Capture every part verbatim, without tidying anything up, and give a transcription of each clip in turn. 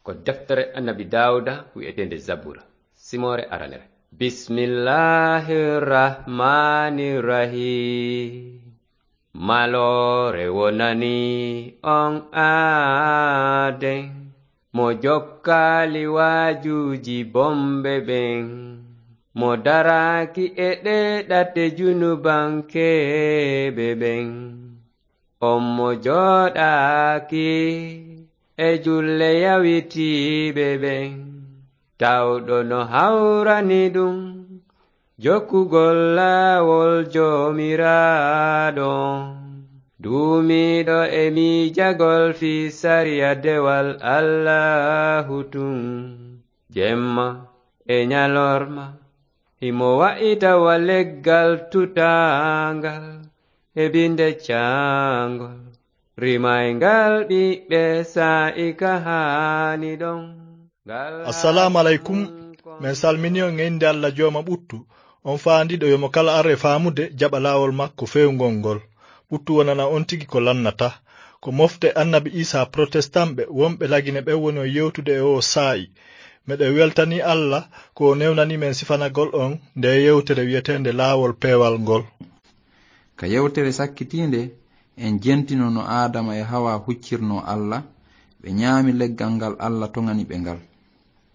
Ko deftere Annabi Daawuda wi'eteende Zabura, simoore aranere. Bismillahir Rahmanir Rahim. Maloore wonani on aaden, mo jokkaali waajuuji bonɓe ɓen, mo daraaki e ɗee ɗate junubankeeɓe ɓen. On mo jooɗaaki e julle yawitiiɓe ɓen, tawɗo no hawrani ɗum jokkugol laawol Joomiraaɗo, duumiiɗo e miijagol fii sariya dewal Allaahu tun, jemma e ñalorma. Himo wa'ita wa leggal tutaangal e binde caangol, rimayngal ɓiɓɓe saa'i ka haani ɗon. Ngal Assalaamu aleykum. Min salmini on e innde Alla Jooma ɓuttu, on faandiiɗo yo mo kala ar e faamude jaɓa laawol makko feewngol ngol. Ɓuttu wonana on tigi ko lannata. Ko mofte Annabi Iisaa Protestanɓe wonɓe Lagine ɓen woni on yewtude e oo saa'i. Meɗen weltanii Alla ko o newnanii men sifanagol on ndee yewtere wi'eteende Laawol Peewal ngol. Ka yewtere sakkitiinde, en jentino no Aadama e Hawa huccirnoo Alla, ɓe ñaami leggal ngal Alla toŋani ɓe ngal.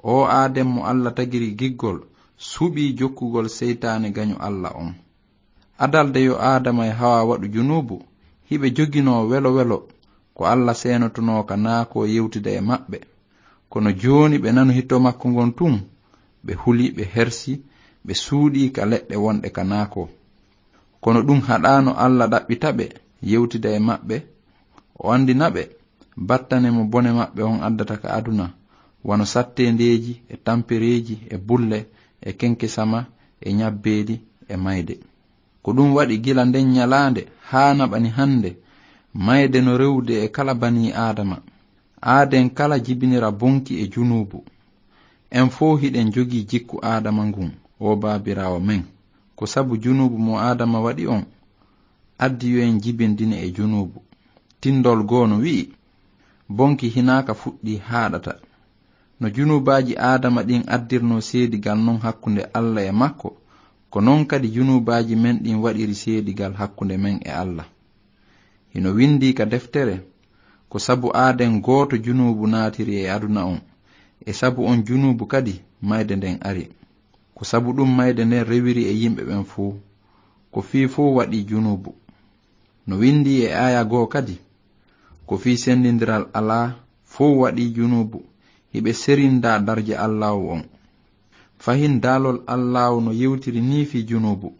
Oo Aaden mo Alla tagiri giggol, suɓii jokkugol seytaane gaño Alla on. Adalde yo Aadama e Hawa waɗu junuubu, hiɓe joginoo welo welo, ko Alla seenotonoo ka naakoo yewtida e maɓɓe. Kono jooni ɓe nanu hito makko ngon tun, ɓe huli, ɓe hersi, ɓe suuɗii ka leɗɗe wonɗe ka naakoo. Kono ɗun haɗaano Alla ɗaɓɓita ɓe, yewtida e maɓɓe, o anndina ɓe battane mo bone maɓɓe on addata ka aduna, wano satteendeeji e tampereeji e bulle e kenkesama e ñabbeeli e mayde. Ko ɗun waɗi gila nden ñalaande haa naɓani hande, mayde no rewude e kala banii Aadama. Aaden kala jibinira bonki e junuubu. En fow hiɗen jogii jikku Aadama ngun, oo baabiraawo men. Ko sabu junuubu mo Aadama waɗi on, addi yo en jibindine e junuubu. Tindol goo no wi'i, bonki hinaa ka fuɗɗii haaɗata. No junuubaaji Aadama ɗin addirnoo seedigal non hakkunde Alla e makko, ko non kadi junuubaaji men ɗin waɗiri seedigal hakkunde men e Alla. Hino windii ka deftere, ko sabu aaden gooto junuubu naatiri e aduna on, e sabu on junuubu kadi mayde nden ari. Ko sabu ɗun mayde nden rewiri e yimɓe ɓen fow. Ko fii fow waɗii junuubu. No windii e aaya goo kadi, ko fii sendindiral alaa, fow waɗii junuubu, hiɓe serindaa darja Allaahu on. Fahin daalol Allaahu no yewtiri nii fii junuubu.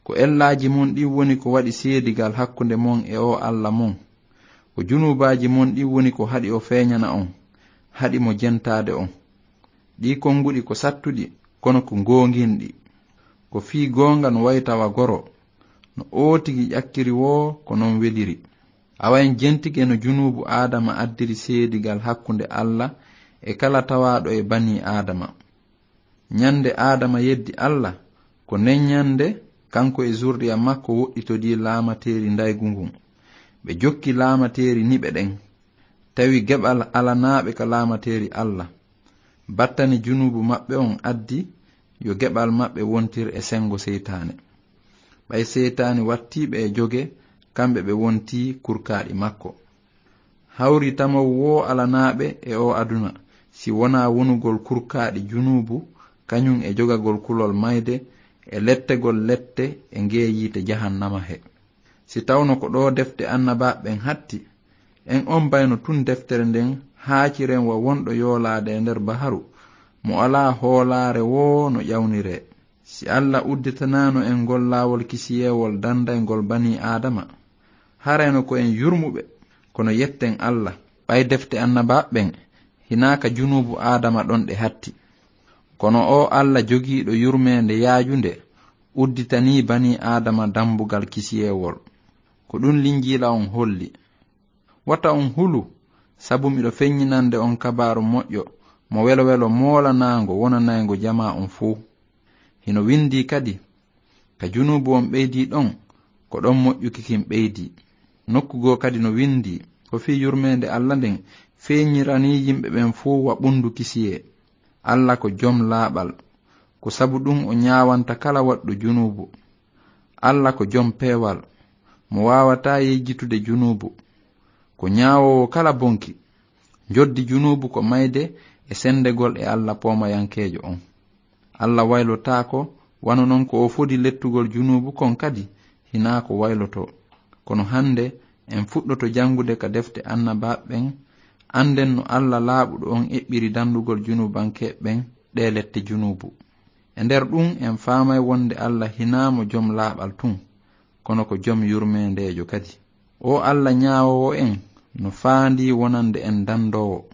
Ko ellaaji mon ɗin woni ko waɗi seedigal hakkunde mon e oo Alla mon. Ko junuubaaji mon ɗin woni ko haɗi o feeñana on, haɗi mo jentaade on. Ɗii konguɗi ko sattuɗi, kono ko goonginɗi. Ko fii goonga no wayta wa goro, no oo tigi ƴakkiri woo ko non weliri. Awa en jentike no junuubu Aadama addiri seedigal hakkunde Alla e kala tawaaɗo e banii Aadama. Ñande Aadama yeddi Alla, ko nden ñande kanko e zurriya makko woɗɗitodii laamateeri ndaygu ngun. Ɓe jokki laamateeri niɓe ɗen, tawi geɓal alanaaɓe ka laamateeri Alla. Battane junuubu maɓɓe on addi yo geɓal maɓɓe wontir e sengo seytaane. Ɓay seytaane wattii ɓe e joge, kamɓe ɓe wontii kurkaaɗi makko. Hawri tamaw woo alanaaɓe e oo aduna, si wonaa wonugol kurkaaɗi junuubu, kañun e jogagol kulol mayde, e lettegol lette e ngee yiite jahannama he. Si tawno ko ɗoo defte annabaaɓe ɓen hatti, en ombayno tun deftere nden haaciren wa wonɗo yoolaade e nder baharu, mo alaa hoolaare woo no ƴawniree. Si Alla udditanaano en ngol laawol kisiyeewol dandayngol banii Aadama, harayno ko en yurmuɓe, kono yetten Alla, ɓay defte annabaaɓe ɓen hinaa ka junuubu Aadama ɗon ɗe hatti. Kono oo Alla jogiiɗo yurmeende yaajunde udditanii banii Aadama dambugal kisiyeewol. Ko ɗun Linjiila on holli. Wota on hulu, sabu miɗo feññinande on kabaaru moƴƴo mo welo-welo moolanaango wonanayngo jamaa on fow. Hino windii kadi, ka junuubu on ɓeydii ɗon, ko ɗon moƴƴuki kin ɓeydii. Nokku goo kadi no windii, ko fii yurmeende Alla nden feeñiranii yimɓe ɓen fow wa ɓunndu kisiyee. Alla ko jom laaɓal. Ko sabu ɗum o ñaawanta kala waɗɗo junuubu. Alla ko jom peewal. Mo waawataa yejjitude junuubu. Ko ñaawoowo kala bonki. Njoddi junuubu ko mayde e senndegol e Alla poomayankeejo on. Alla waylotaako, wano non ko o fodi lettugol junuubu kon kadi, hinaa ko waylotoo. Kono hannde, en fuɗɗoto janngude ka defte annabaaɓe ɓen, annden no Alla laaɓuɗo on eɓɓiri danndugol junuubankeeɓe ɓen ɗee lette junuubu. E nder ɗum, en faamay wonde Alla hinaa mo jom laaɓal tun, kono ko jom yurmeendeejo kadi. O Alla ñaawoowo en no faandii wonande en danndoowo.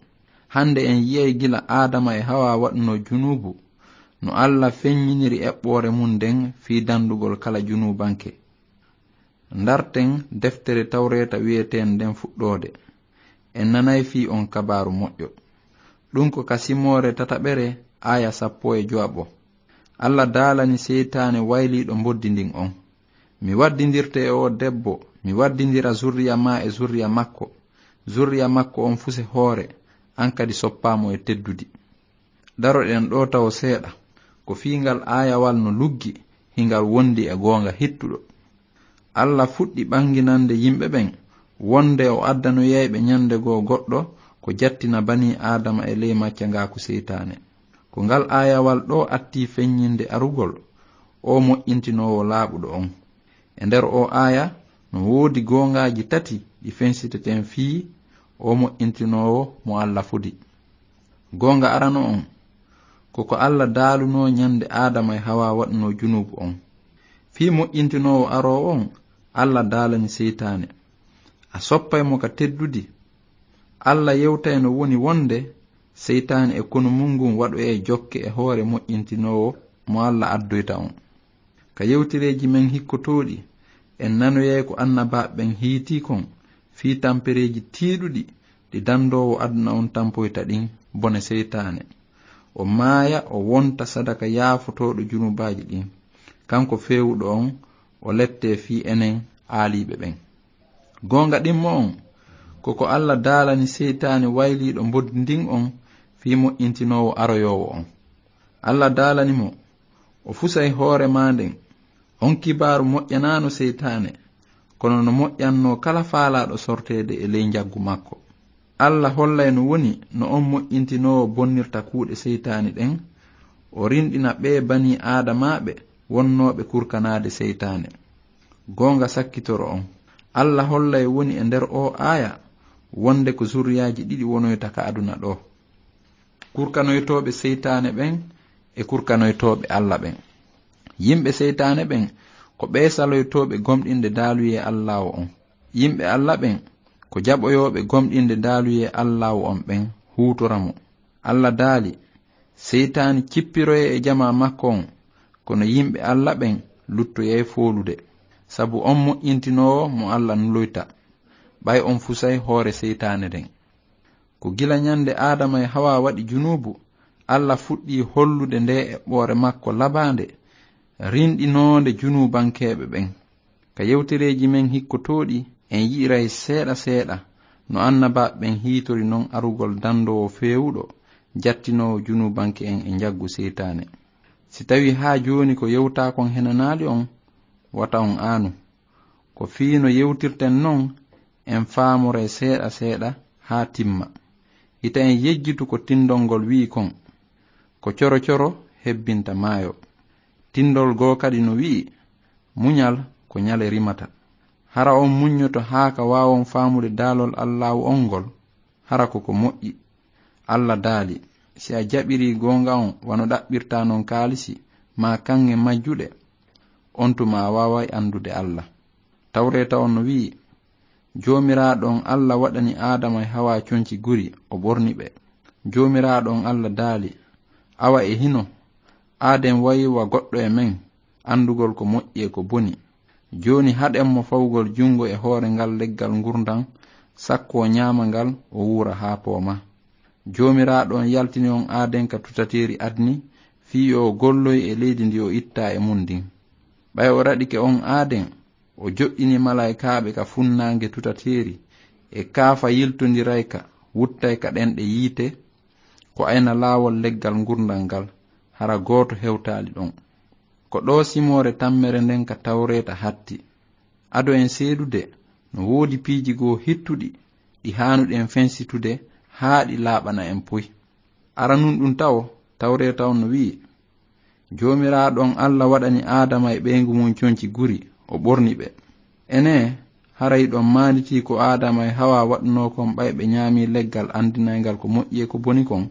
Hannde en yi'ay gila Aadama e Hawa waɗunoo junuubu, no Alla feññiniri eɓɓoore mun nden fii danndugol kala junuubanke. Ndarten deftere Tawreeta wi'eteende nden fuɗɗoode. En nanay fii on kabaaru moƴƴo. Ɗum ko ka Simoore tataɓere, aaya sappo e jowaɓo. Alla daalani seytaane wayliiɗo mboddi ndin on: "Mi waddindirte e oo debbo, mi waddindira zurriya maa e zurriya makko. Zurriya makko on fuse hoore, an kadi soppaa mo e teddudi." Daroɗen ɗoo tawo seeɗa, ko fii ngal aayawal no luggi, hingal wondi e goonga hittuɗo. Alla fuɗɗi ɓanginande yimɓe ɓen, wonde o addanoyay ɓe ñande goo goɗɗo ko jattina banii Aadama e ley maccangaaku seytaane. Ko ngal aayawal ɗoo attii feññinde arugol oo moƴƴintinoowo laaɓuɗo on. E nder oo aaya, no woodi goongaaji tati ɗi fensiteten fii oo moƴƴintinoowo mo Alla fodi. Goonga arano on, ko ko Alla daalunoo ñande Aadama e Hawa waɗunoo junuubu on. Fii moƴƴintinoowo aroowo on, Alla daalani seytaane: "A soppay mo ka teddudi?" Alla yewtay no woni wonde seytaane e konu mun ngun waɗoyay jokke e hoore moƴƴintinoowo mo Alla addoyta on. Ka yewtereeji men hikkotooɗi, en nanoyay ko annabaaɓe ɓen hiitii kon fii tampereeji tiiɗuɗi ɗi danndoowo aduna on tampoyta ɗin bone seytaane. O maaya, o wonta sadaka yaafotooɗo junubaaji ɗin. Kanko feewuɗo on, o lettee fii enen aaliiɓe ɓen. Goonga ɗimmo on, ko ko Alla daalani seytaane wayliiɗo mboddi ndin on fii moƴƴintinoowo aroyoowo on. Alla daalani mo, o fusay hoore maa nden. On kibaaru moƴƴanaano seytaane, kono no moƴƴannoo kala faalaaɗo sorteede e ley njaggu makko. Alla hollay no woni no on moƴƴintinoowo bonnirta kuuɗe seytaane ɗen, o rinɗina ɓee banii Aadamaaɓe wonnooɓe kurkanaade seytaane. Goonga sakkitoro on, Alla hollay woni e nder oo aaya wonde ko zurriyaaji ɗiɗi wonoyta ka aduna ɗoo. Kurkanoytooɓe seytaane ɓen e kurkanoytooɓe Alla ɓen. Yimɓe seytaane ɓen ko ɓee saloytooɓe gomɗinde daaluyee Allaawo on. Yimɓe Alla ɓen ko jaɓoyooɓe gomɗinde daaluyee Allaawo on ɓen huutora mo. Alla daali, seytaane cippiroyee e jamaa makko on, kono yimɓe Alla ɓen luttoyay foolude, sabu on moƴƴintinoowo mo Alla nuloyta, ɓay on fusay hoore seytaane nden. Ko gila ñande Aadama e Hawa waɗi junuubu, Alla fuɗɗii hollude ndee eɓɓoore makko labaande, rinɗinoonde junuubankeeɓe ɓen. Ka yewtereeji men hikkotooɗi, en yi'iray seeɗa seeɗa no annabaaɓe ɓen hiitori non arugol danndoowo feewuɗo, jattinoowo junuubanke en e njaggu seytaane. Si tawii haa jooni ko yewtaa kon henanaali on, wata on aanu. Ko fii no yewtirten non, en faamoray seeɗa seeɗa haa timma. Hita en yejjitu ko tindol ngol wi'i kon: "Ko coro coro hebbinta maayo." Tindol goo kadi no wi'i: "Muñal ko ñale rimata." Hara on muññoto haa ka waawon faamude daalol Allaahu on ngol? Hara ko ko moƴƴi. Alla daali: "Si a jaɓirii goonga on wano ɗaɓɓirtaa non kaalisi maa kaŋŋe majjuɗe, on tuma a waaway anndude Alla." Tawreeta on no wi'i: "Joomiraaɗo on Alla waɗani Aadama e Hawa conci guri, o ɓorni ɓe." Joomiraaɗo on Alla daali: "Awa e hino, aaden wayi wa goɗɗo e men, anndugol ko moƴƴi e ko boni. Jooni haɗen mo fawugol junngo e hoore ngal leggal ngurndan, sakko o ñaama ngal, o wuura haa pooma." Joomiraaɗo on yaltini on aaden ka tutateeri Adni, fii yo o golloy e leydi ndi o ittaa e mun ndin. Ɓay o raɗike on aaden, o joɗɗini malaa'ikaaɓe ka funnaange tutateeri, e kaafa yiltondirayka, wuttay ka ɗenɗe yiite, ko ayna laawol leggal ngurndan ngal, hara gooto hewtaali ɗon. Ko ɗoo simoore tammere nden ka Tawreeta hatti. Ado en seedude, no woodi piiji goo hittuɗi, ɗi haanuɗen fensitude haa ɗi laaɓana en puy. Aranun ɗum tawo, Tawreeta on no wi'i, Joomiraaɗo on Alla waɗani Aadama e ɓeyngu mum conci guri, o ɓorni ɓe. Enee, haray ɗon maanditii ko Aadama e Hawa waɗunoo kon ɓay ɓe ñaamii leggal andinayngal ko moƴƴi e ko boni kon?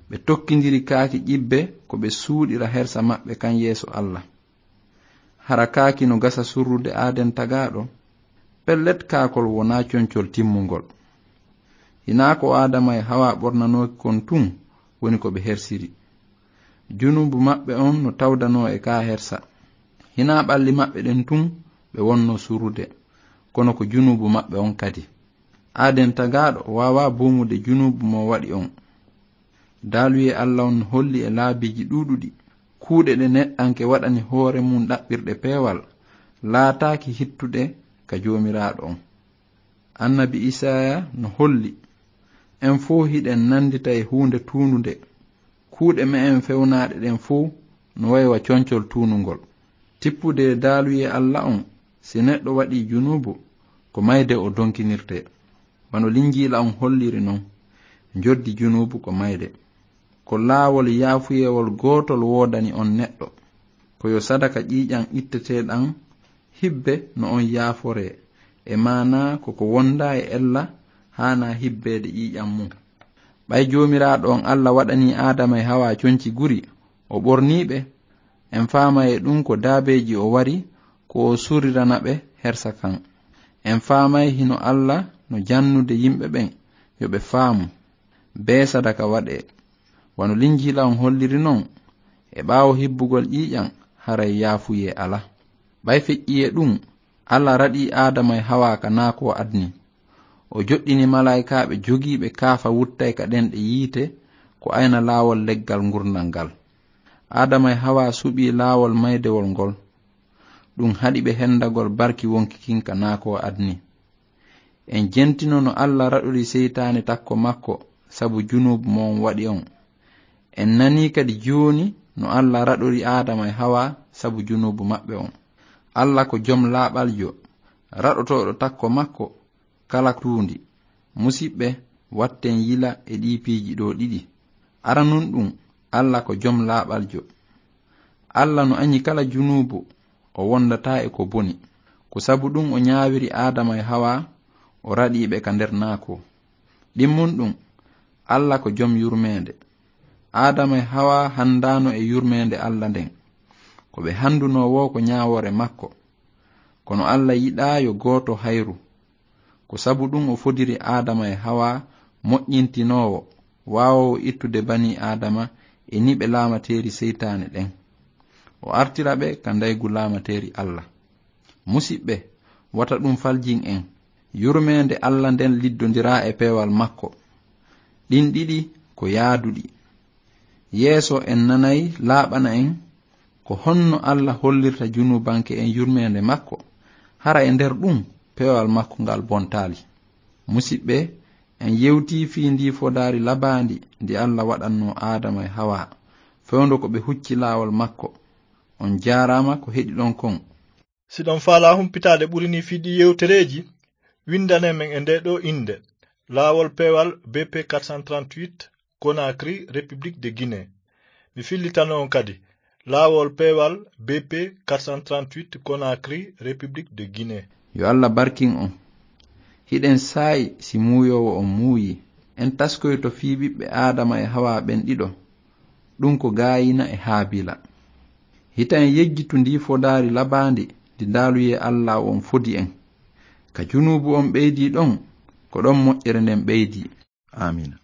Ɓe tokkindiri kaaki ƴibbe ko ɓe suuɗira hersa maɓɓe kan yeeso Alla. Hara kaaki no gasa surrude aaden tagaaɗo? Pellet, kaakol wonaa concol timmungol. Hinaa ko Aadama e Hawa ɓornanooki kon tun woni ko ɓe hersiri. Junuubu maɓɓe on no tawdanoo e kaa hersa. Hinaa ɓalli maɓɓe ɗen tun ɓe wonnoo surrude, kono ko junuubu maɓɓe on kadi. Aaden tagaaɗo waawaa buumude junuubu mo waɗi on. Daaluyee Alla on no holli e laabiiji ɗuuɗuɗi, kuuɗe ɗe neɗɗanke waɗani hoore mum ɗaɓɓirɗe peewal, laataaki hittuɗe ka Joomiraaɗo on. Annabi Isaaya no holli, en fow hiɗen nandita e huunde tuununde. Kuuɗe me'en fewnaaɗe ɗen fow no way wa concol tuunungol. Tippude e daaluyee Alla on, si neɗɗo waɗii junuubu, ko mayde o donkinirtee. Wano Linjiila on holliri non, njoddi junuubu ko mayde. Ko laawol yaafuyeewol gootol woodani on neɗɗo. Ko yo sadaka ƴiiƴan itteteeɗan hibbe no on yaaforee, e maanaa ko ko wondaa e ella haanaa hibbeede ƴiiƴan mum. Ɓay Joomiraaɗo on Alla waɗanii Aadama e Hawa conci guri, o ɓornii ɓe, en faamay e ɗum ko daabeeji o wari ko o surrirana ɓe hersa kan. En faamay hino Alla no jannude yimɓe ɓen yo ɓe faamu, bee sadaka waɗee. Wano Linjiila on holliri non, e ɓaawo hibbugol ƴiiƴan, haray yaafuyee alaa. Ɓay feƴƴii e ɗum, Alla raɗii Aadama e Hawa ka naakoo adni. O joɗɗini malaa'ikaaɓe jogiiɓe kaafa wuttay ka ɗenɗe yiite ko ayna laawol leggal ngurndan ngal. Aadama e Hawa suɓii laawol maydewol ngol. Ɗum haɗi ɓe hendagol barki wonki kin ka naakoo adni. En jentino no Alla raɗori seytaane takko makko sabu junuubu mo on waɗi on. En nanii kadi jooni no Alla raɗori Aadama e Hawa sabu junuubu maɓɓe on. Alla ko jom laaɓaljo, raɗotooɗo takko makko kala tuundi. Musiɓɓe, watten yila e ɗii piiji ɗoo ɗiɗi. Aranun ɗum, Alla ko jom laaɓaljo. Alla no añi kala junuubu, o wondataa e ko boni. Ko sabu ɗum o ñaawiri Aadama e Hawa, o raɗii ɓe ka nder naakoo. Ɗimmun ɗum, Alla ko jom yurmeende. Aadama e Hawa handaano e yurmeende Alla nden. Ko ɓe handunoo woo ko ñaawoore makko. Kono Alla yiɗaa yo gooto hayru. Ko sabu ɗum o fodiri Aadama e Hawa moƴƴintinoowo, waawoowo ittude banii Aadama e niɓe laamateeri seytaane ɗen. O artira ɓe ka ndaygu laamateeri Alla. Musiɓɓe, wata ɗum faljin en. Yurmeende Alla nden liddondiraa e peewal makko. Ɗin ɗiɗi ko yaaduɗi. Yeeso en nanay laaɓana en ko honno Alla hollirta junuubanke en yurmeende makko, hara e nder ɗum peewal makko ngal bontaali. Musiɓɓe, en yewtii fii ndii fodaari labaandi ndi Alla waɗannoo Aadama e Hawa, fewndo ko ɓe hucci laawol makko. On jaaraama ko heɗiɗon kon. Si ɗon faalaa humpitaade ɓuri nii fii ɗii yewtereeji, windanee men e ndee ɗoo innde, Laawol Peewal B P quatre cent trente-huit, Conakry, République de Guinée. Mi fillitano on kadi, Laawol Peewal B P quatre cent trente-huit, Conakry, République de Guinée. Yo Alla barkin on. Hiɗen saa'i si muuyoowo on muuyi. En taskoyto fii ɓiɓɓe Aadama e Hawa ɓen ɗiɗo. Ɗum ko Gaayina e Haabiila. Hita en yejjitu ndii fodaari labaandi ndi daaluyee Alla on fodi en. Ka junuubu on ɓeydii ɗon, ko ɗon moƴƴere nden ɓeydii. Aamiina.